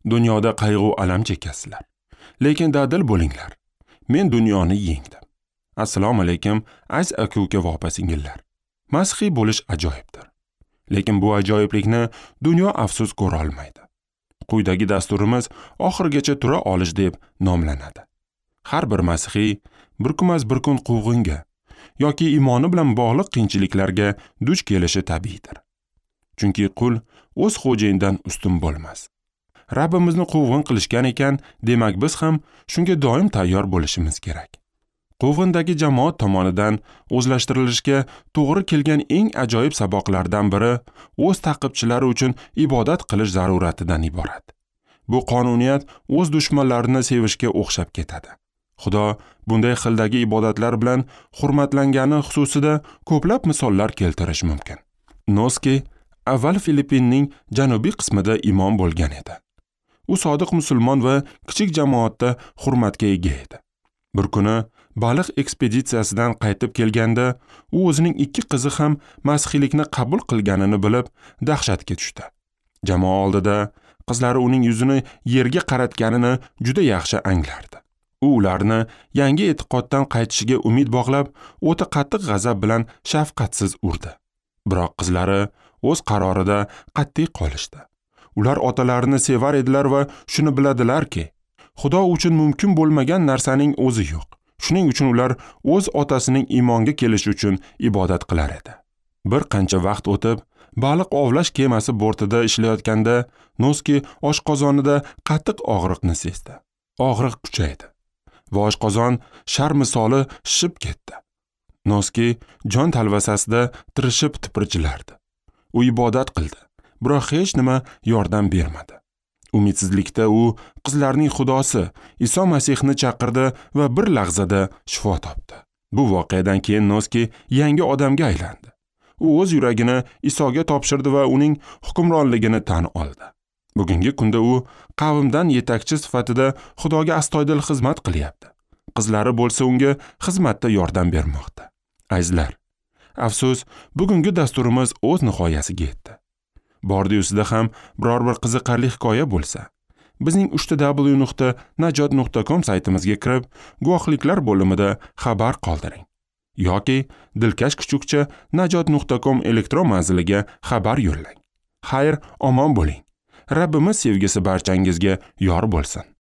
Dunyoda qayg'u alam chekasizlar. Lekin dadil bo'linglar. Men dunyoni yengdim. Assalomu alaykum, aziz aka-uka va opa-singillar. Masihiy bo'lish ajoyibdir. Lekin bu ajoyiblikni dunyo afsus ko'ra olmaydi. Quyidagi dasturimiz oxirigacha tura olish deb nomlanadi. Har bir masihiy bir kunmas bir kun quvg'inga yoki iymoni bilan bog'liq qiyinchiliklarga duch kelishi tabiiydir. Chunki qul o'z xo'jayinidan ustun bo'lmas. Rabbimizni quvg'in qilishgan ekan, demak biz ham shunga doim tayyor bo'lishimiz kerak. Quvg'indagi jamoat tomonidan o'zlashtirilishga to'g'ri kelgan eng ajoyib saboqlardan biri o'z taqibchilari uchun ibodat qilish zaruratidan iborat. Bu qonuniyat o'z dushmanlarini sevishga o'xshab ketadi. Xudo bunday xildagi ibodatlar bilan hurmatlangani xususida ko'plab misollar keltirish mumkin. Noski avval Filippinning janubiy qismida imom bo'lgan edi. U sodiq musulmon va kichik jamoatda hurmatga ega edi. Bir kuni baliq ekspeditsiyasidan qaytib kelganda, u o'zining ikki qizi ham masihiylikni qabul qilganini bilib, dahshatga tushdi. Jamoa oldida qizlari uning yuzini yerga qaratganini juda yaxshi anglardi. U ularni yangi e'tiqoddan qaytishiga umid bog'lab, o'ta qattiq g'azab bilan shafqatsiz urdi. Biroq qizlari o'z qarorida qat'iy qolishdi. Ular otalarini sevar edilar va shuni biladilarki, Xudo uchun mumkin bo'lmagan narsaning o'zi yo'q. Shuning uchun ular o'z otasining iymonga kelishi uchun ibodat qilar edi. Bir qancha vaqt o'tib, baliq ovlash kemasi bortida ishlayotganda Noski oshqozonida qattiq og'riqni sezdi. Og'riq kuchaydi va oshqozon shar misoli shishib ketdi. Noski jon talvasasida tirishib tipirchilardi. U ibodat qildi, biroq hech nima yordam bermadi. Umidsizlikda u qizlarning xudosi Iso Masihni chaqirdi va bir lahzada shifo topdi. Bu voqeadan keyin Noski yangi odamga aylandi. U o'z yuragini Isoga topshirdi va uning hukmronligini tan oldi. Bugungi kunda u qavmdan yetakchi sifatida Xudoga astoydil xizmat qilyapti. Qizlari bo'lsa unga xizmatda yordam bermoqda. Azizlar, afsus, bugungi dasturimiz o'z nihoyasiga yetdi. Bordi-yusida ham biror bir qiziqarli hikoya bo'lsa, bizning www.najot.com saytimizga kirib, guvohliklar bo'limida xabar qoldiring yoki dilkash@najot.com elektron manziliga xabar yo'llang. Xayr, omon bo'ling. Rabbimiz sevgisi barchangizga yor bo'lsin.